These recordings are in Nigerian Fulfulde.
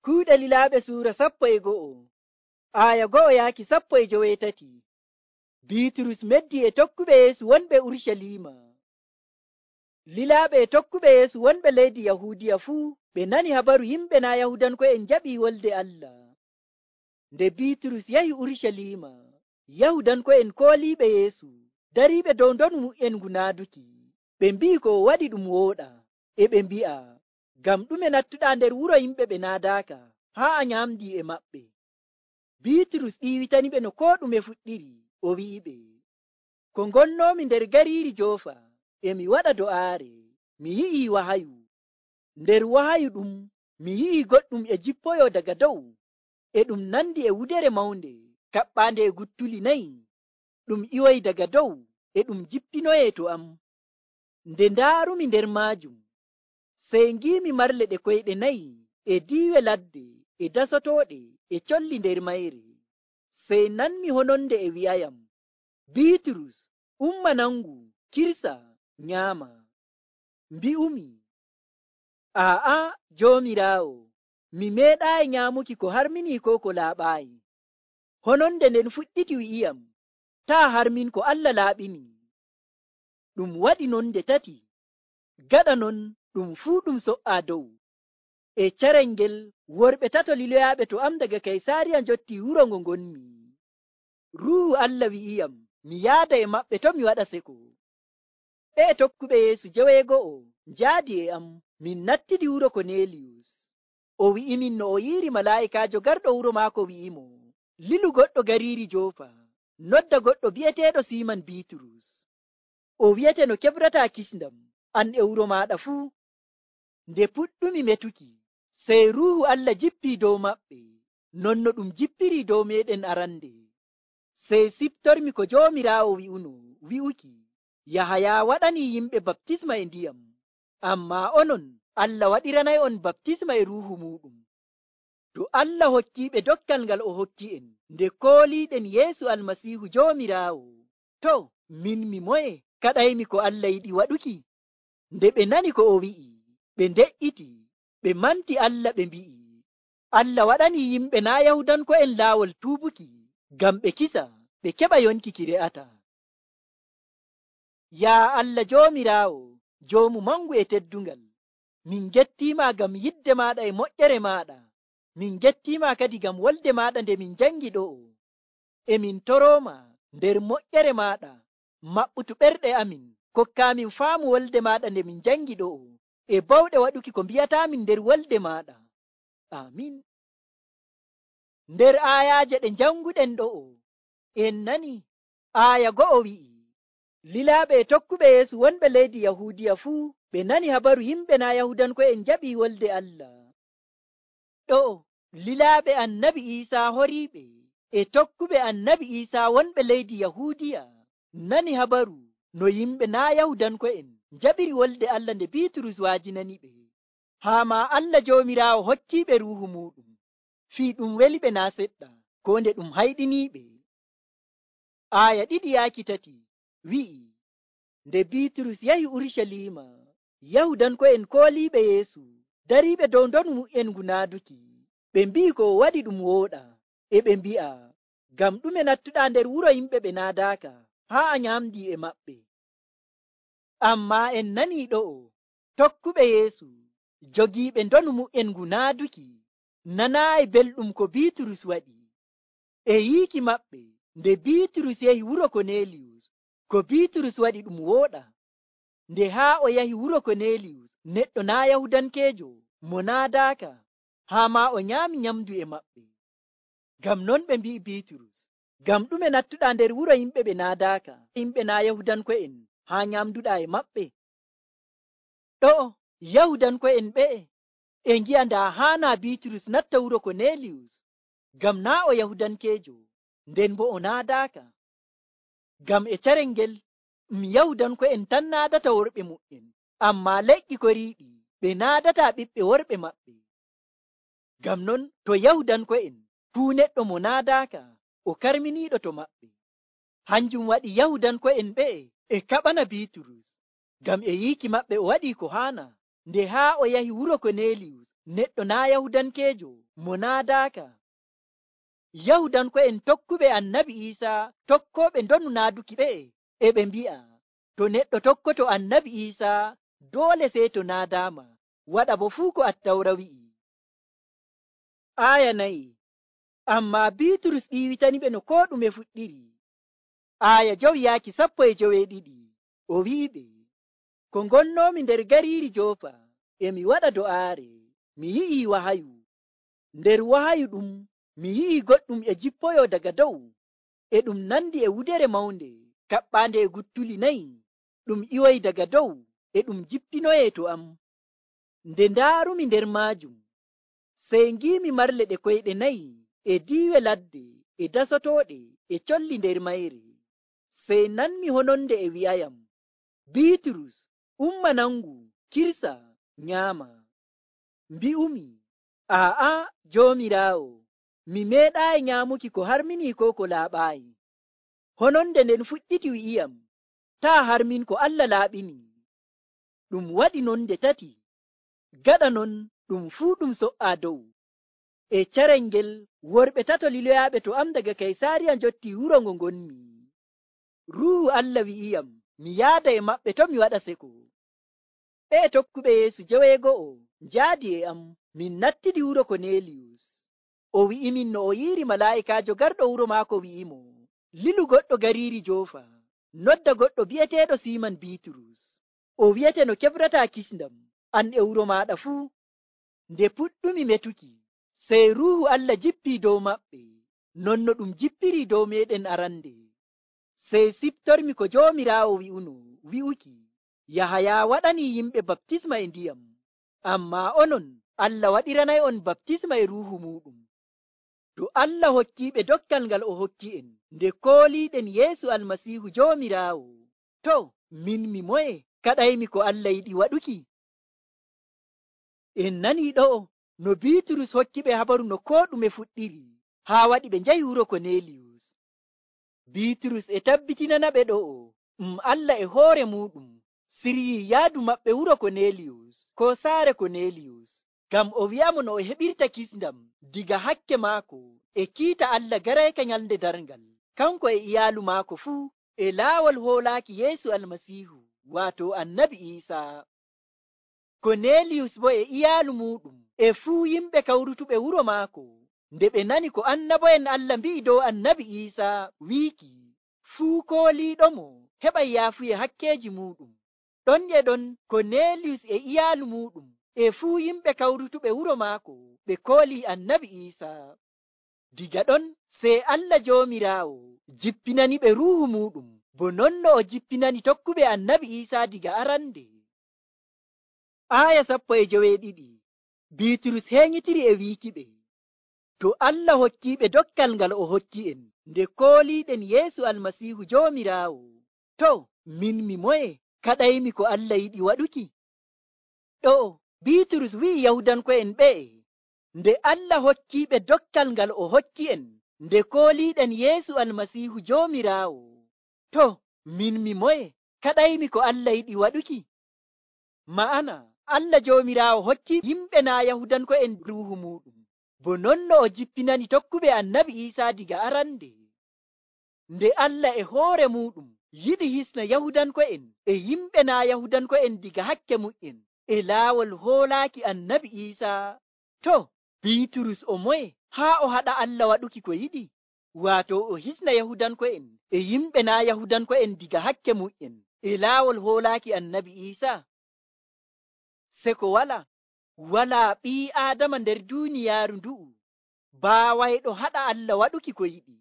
Kuuɗe Lilaaɓe suura 11 aya 1 yaaki 17. Biiturus meddi e tokkuɓe Yeesu wonɓe Urucaliima. Lilaaɓe e tokkuɓe Yeesu wonɓe leydi Yahuudiya fuu ɓe nani habaru yimɓe naa Yahudanko'en jaɓii wolde Allah. Nde Biiturus yahi Urucaliima, Yahudanko'en kooliiɓe Yeesu dariiɓe dow ndonu mu'en ngunaaduki. Ɓe mbi'i ko o waɗi ɗum wooɗa, e ɓe mbi'a, ngam ɗume nattuɗaa nder wuro yimɓe ɓe naadaaka haa a nyaamdii e maɓɓe. Biiturus ɗiiwitaniɓe no koo ɗume fuɗɗiri, o wi'iɓe, ko ngonnoomi nder gariiri Joofa, e mi waɗa do'aare, mi yi'ii wahayu. Nder wahayu ɗum, mi yi'ii goɗɗum e jippoyoo daga dow, e ɗum nandi e wudere mawnde, kaɓɓaande e guttuli 4. Ɗum iwoyi daga dow, e ɗum jippinoyee to am. Nde ndaarumi nder maajum, sey ngiimi marle ɗe koyɗe 4 e diiwe ladde e dasotooɗe e colli nder mayre. Sey nanmi hononde e wi'ayam, Biiturus, umma nangu, kirsa, nyaama. Mbi'umi, aa'a, Joomiraawo, mi meeɗaayi nyaamuki ko harminii koo ko laaɓaayi. Hononde nden fuɗɗiti wi'iyam, taa harmin ko Allah laaɓini. Ɗum waɗi non nde 3. Gaɗa non ɗum fuu ɗum so'aa dow. E carel ngel worɓe 3 liloyaaɓe to am daga Kaysaariya njottii wuro ngo ngonmi. Ruuhu Allah wi'iyam mi yaada e maɓɓe to mi waɗa seko. Ɓe tokkuɓe Yeesu 9 njaadi e am, min nattidi wuro Koneeliyus. O wi'imin no o yi'iri malaa'ikaajo garɗo wuro maako wi'imo, lilu goɗɗo gariiri Joofa, nodda goɗɗo bi'eteeɗo Siiman Biiturus. O wi'ete no keɓrataa kisndam, an e wuro maaɗa fuu. Nde puɗɗumi metuki, sey Ruuhu Allah jippii dow maɓɓe, non no ɗum jippirii dow meeɗen arande. Sey siftormi ko Joomiraawo wi'uno wi'uki, Yahaya waɗanii yimɓe baptisma e ndiyam, ammaa onon Allah waɗiranay'on baptisma e Ruuhu muuɗum. To Allah hokkiiɓe dokkal ngal o hokki'en nde kooliiɗen Yeesu Almasiihu Joomiraawo, to min mi moye kaɗaymi ko Allah yiɗi waɗuki? Nde ɓe nani ko o wi'i, ɓe nde'iti, ɓe manti Allah ɓe mbi'i, Allah waɗanii yimɓe naa Yahudanko'en laawol tuubuki ngam ɓe kisa ɓe keɓa yonki ki re'ata. Yaa Allah Joomiraawo, Joomu mangu e teddungal, min gettiima ngam yidde maaɗa e moƴƴere maaɗa. Min gettiima kadi ngam wolde maaɗa nde min jangi ɗo'o. E min torooma nder moƴƴere maaɗa, maɓɓutu ɓerɗe amin, kokkaamin faamu wolde maaɗa nde min jangi ɗo'o, e bawɗe waɗuki ko mbi'ataamin nder wolde maaɗa. Amin. Nder aayaaje ɗe janguɗen ɗo'o, en nani aaya 1 wi'i, Lilaaɓe e tokkuɓe Yeesu wonɓe leydi Yahuudiya fuu ɓe nani habaru yimɓe naa Yahudanko'en jaɓii wolde Allah. Ɗo'o lilaaɓe Annabi Iisaa horiiɓe e tokkuɓe Annabi Iisaa wonɓe leydi Yahuudiya nani habaru no yimɓe naa Yahudanko'en jaɓiri wolde Allah nde Biiturus waajinaniɓe. Haa maa Allah Joomiraawo hokkiiɓe Ruuhu muuɗum. Fii ɗum weliɓe naa seɗɗa, ko nde ɗum hayɗiniiɓe. Aaya 2 yaaki 3 wi'i, nde Biiturus yahi Urucaliima, Yahudanko'en kooliiɓe Yeesu dariiɓe dow ndonu mu'en ngunaaduki. Ɓe mbi'i ko o waɗi ɗum wooɗa, e ɓe mbi'a, ngam ɗume nattuɗaa nder wuro yimɓe ɓe naadaaka haa a nyaamdii e maɓɓe. Ammaa en nanii ɗo'o, tokkuɓe Yeesu jogiiɓe ndonu mu'en ngunaaduki nanaayi belɗum ko Biiturus waɗi. E yiiki maɓɓe, nde Biiturus yahi wuro Koneeliyus, ko Biiturus waɗi ɗum wooɗa. Nde haa o yahi wuro Koneeliyus, neɗɗo naa Yahudankeejo mo naadaaka, haa maa o nyaami nyamdu e maɓɓe. Ngam non ɓe mbi'i Biiturus, ngam ɗume nattuɗaa nder wuro yimɓe ɓe naadaaka, yimɓe naa Yahudanko'en, haa nyamduɗaa e maɓɓe? Ɗo'o Yahudanko'en ɓe'e e ngi'a ndaa haanaa Biiturus natta wuro Koneeliyus, ngam naa o Yahudankeejo, nden bo o naadaaka. Ngam e carel ngel Yahudanko'en tan naadata worɓe mu'en, ammaa leƴƴi koriiɗi ɓe naadataa ɓiɓɓe worɓe maɓɓe. Ngam non to Yahudanko'en fuu neɗɗo mo naadaaka o karminiiɗo to maɓɓe. Hanjum waɗi Yahudanko'en ɓe'e e kaɓana Biiturus, ngam e yiiki maɓɓe o waɗii ko haana. Nde haa o yahi wuro Koneeliyus, neɗɗo naa yahudankeejo mo naadaaka. Yahudanko'en tokkuɓe annabi Iisaa tokkooɓe ndonu naaduki ɓe'e e ɓe mbi'a to neɗɗo tokkoto annabi Iisaa doole sey to naadaama waɗa bo fuu ko Attawra wi'i. Aaya 4. Ammaa Biiturus ɗiiwitaniɓe no koo ɗume fuɗɗiri. Aaya 5-12 o wi'iɓe, ko ngonnoomi nder gariiri Joopa e mi waɗa do'aare, mi yi'ii wahayu. Nder wahayu ɗum mi yi'ii goɗɗum e jippoyoo daga dow, e ɗum nandi e wudere mawnde kaɓɓaande e guttuli 4, ɗum iwoyi daga dow, e ɗum jippinoyee to am. Nde ndaarumi nder maajum, sey ngiimi marle ɗe koyɗe 4 e diiwe ladde e dasotooɗe e colli nder mayre. Sey nanmi hononde e wi'ayam, Biiturus, umma nangu, kirsa, nyaama. Mbi'umi, aa'a, Joomiraawo, mi meeɗaayi nyaamuki ko harminii koo ko laaɓaayi. Hononde nden fuɗɗiti wi'iyam, taa harmin ko Allah laaɓini. Ɗum waɗi non nde 3. Gaɗa non ɗum fuu ɗum so'aa dow. E carel ngel worɓe 3 liloyaaɓe to am daga Kaysaariya njottii wuro ngo ngonmi. Ruuhu Allah wi'iyam mi yaada e maɓɓe to mi waɗa seko. Ɓe tokkuɓe Yeesu 9 njaadi e am min nattidi wuro Koneeliyus. O wi'imin no o yi'iri malaa'ikaajo garɗo wuro maako wi'imo, lilu goɗɗo gariiri Joofa, nodda goɗɗo bi'eteeɗo Siiman Biiturus. O wi'ete no keɓrataa kisndam an e wuro maaɗa fuu. Nde puɗɗumi metuki, sey Ruuhu Allah jippii dow maɓɓe, non no ɗum jippirii dow meeɗen arande. Sey siftormi ko Joomiraawo wi'uno wi'uki, Yahaya waɗanii yimɓe baptisma e ndiyam, ammaa onon Allah waɗiranay'on baptisma e Ruuhu muuɗum. To Allah hokkiiɓe dokkal ngal o hokki'en nde kooliiɗen Yeesu Almasiihu Joomiraawo, to min mi moye kaɗaymi ko Allah yiɗi waɗuki? En nanii ɗo'o no Biiturus hokkiɓe habaru no koo ɗume fuɗɗiri haa waɗi ɓe njahi wuro Koneeliyus. Biiturus e tabbitinanaɓe ɗo'o Allah e hoore muuɗum siryii yaadu maɓɓe wuro Koneeliyus koo saare Koneeliyus, ngam o wi'amo no o heɓirta kisndam diga hakke maako e kiita Allah garayka nyalnde darngal, kanko e iyaalu maako fuu e laawol hoolaaki Yeesu Almasiihu, waato Annabi Iisaa. Koneeliyus bo e iyaalu muuɗum e fuu yimɓe kawrutuɓe wuro maako, nde ɓe nani ko annabo'en Allah mbi'i dow Annabi Iisaa wiiki, fuu kooliiɗomo heɓay yaafuye hakkeeji muuɗum. Ɗon e ɗon Koneeliyus e iyaalu muuɗum e fuu yimɓe kawrutuɓe wuro maako ɓe koolii Annabi Iisaa. Diga ɗon sey Allah Joomiraawo jippinaniɓe Ruuhu muuɗum, bo non no o jippinani tokkuɓe Annabi Iisaa diga arande. Aaya 12. Biiturus heeñitiri e wiikiɓe, to Allah hokkiiɓe dokkal ngal o hokki'en nde kooliiɗen Yeesu Almasiihu Joomiraawo, to min mi moye kaɗaymi ko Allah yiɗi waɗuki? Ɗo'o Biiturus wi'i Yahudanko'en ɓe'e, nde Allah hokkiiɓe dokkal ngal o hokki'en nde kooliiɗen Yeesu Almasiihu Joomiraawo, to min mi moye kaɗaymi ko Allah yiɗi waɗuki? Ma'ana Allah Joomiraawo hokki yimɓe naa Yahudanko'en Ruuhu muuɗum, bo non no o jippinani tokkuɓe Annabi Iisaa diga arande. Nde Allah e hoore muuɗum yiɗi hisna Yahudanko'en e yimɓe naa Yahudanko'en diga hakke mu'en e laawol hoolaaki Annabi Iisaa, to Biiturus o moye haa o haɗa Allah waɗuki ko yiɗi, waato o hisna Yahudanko'en e yimɓe naa Yahudanko'en diga hakke mu'en e laawol hoolaaki Annabi Iisaa? Seko walaa ɓii Aadama nder duuniyaaru ndu'u baawayɗo haɗa Allah waɗuki ko yiɗi.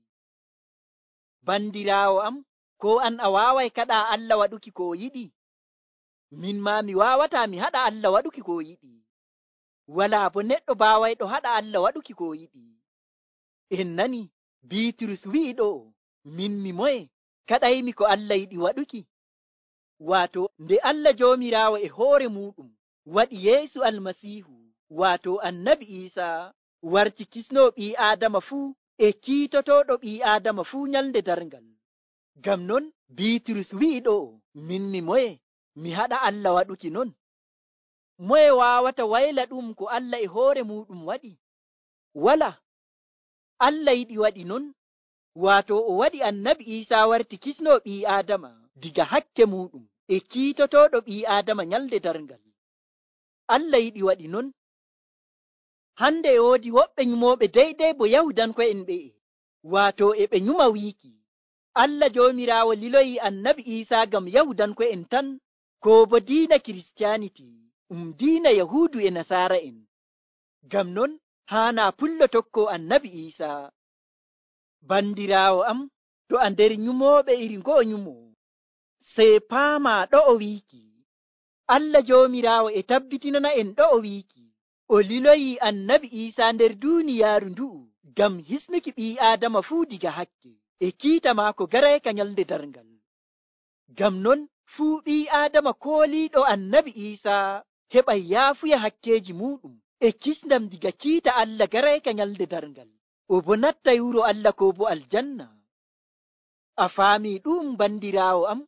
Bandiraawo am, ko an a waaway kaɗaa Allah waɗuki ko o yiɗi? Min maa mi waawataa mi haɗa Allah waɗuki ko o yiɗi. Walaa bo neɗɗo baawayɗo haɗa Allah waɗuki ko o yiɗi. En nani Biiturus wi'i ɗo'o, min mi moye kaɗaymi ko Allah yiɗi waɗuki? Waato nde Allah Joomiraawo e hoore muuɗum waɗi Yeesu Almasiihu, waato Annabi Iisaa, warti kisnoo ɓii Aadama fuu e kiitotooɗo ɓii Aadama fuu nyalnde darngal. Ngam non Biiturus wi'i ɗo'o, min mi moye mi haɗa Allah waɗuki non? moye wawata wayla ɗum ko Allah e hoore muɗum waɗi? Wala. Allah yiɗi waɗi non, wato o waɗi annabi Isa warti kisno ɓii Adama diga hakke muɗum e kiitotoɗo ɓii Adama nyalde darngal. Allah yiɗi waɗi non. Hande e woodi woɓɓe nyumoɓe deydey bo Yahudanko'en ɓe'e, wato e ɓe nyuma wiiki Allah Joomiraawo liloyi annabi Isa ngam Yahudanko'en tan, ko bo diina Kiristiyaniti diina Yahudu e Nasaara'en. Ngam non haana pullo tokko annabi Isa. Bandiraawo am, to a nder nyumooɓe iri ngo'o nyumo, sey paama ɗo o wiiki Allah Joomiraawo e tabbitinana en ɗo o wiiki o liloyi annabi Isa nder duuniyaaru ndu'u ngam hisnuki ɓii Aadama fuu diga hakke e kiita maako garayka nyalde darngal. Ngam non fuu ɓii Aadama kooliiɗo annabi Isa heɓay yaafuya hakkeeji muɗum e kisndam diga kiita Allah garayka nyalde darngal, o bo nattay wuro Allah ko bo aljanna. A faami ɗum bandiraawo am?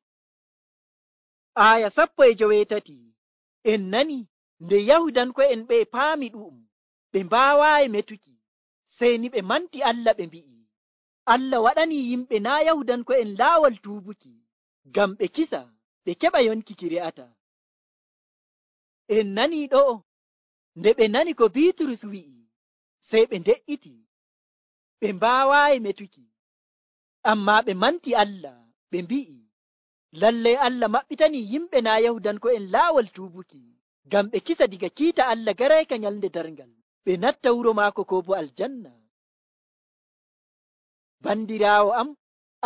Aya 17 en nani nde Yahudanko'en ɓe paami ɗum, ɓe mbaawayi metuki, sey ni ɓe manti Allah ɓe mbi'i Allah waɗani yimɓe naa Yahudanko'en laawol tuubuki ngam ɓe kisa ɓe keɓa yonki ki re'ata. En nani ɗo nde ɓe nani ko Biiturus wi'i, sey ɓe nde'iti, ɓe mbaawayi metuki, amma ɓe manti Allah ɓe mbi'i lallay Allah maɓɓitani yimɓe naa Yahudanko'en laawol tuubuki ngam ɓe kisa diga kiita Allah garayka nyalde darngal, ɓe natta wuro maako ko bo aljanna. Bandiraawo am,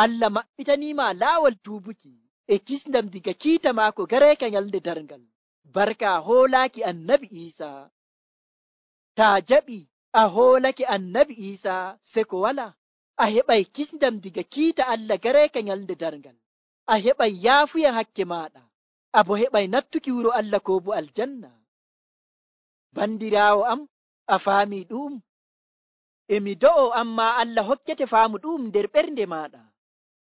Allah maɓɓitaniima laawol tuubuki e kisndam diga kiita maako garayka nyalde darngal, barka hoolaaki annabi Isa. Taa jaɓi a hoolake annabi Isa seko wala, a heɓay kisndam diga kiita Allah garayka nyalde darngal, a heɓay yaafuya hakke maaɗa, a bo heɓay nattuki wuro Allah ko bo aljanna. Bandiraawo am, a faami ɗum? Emi do'o amma Allah hokkete faamu ɗum nder ɓernde maaɗa.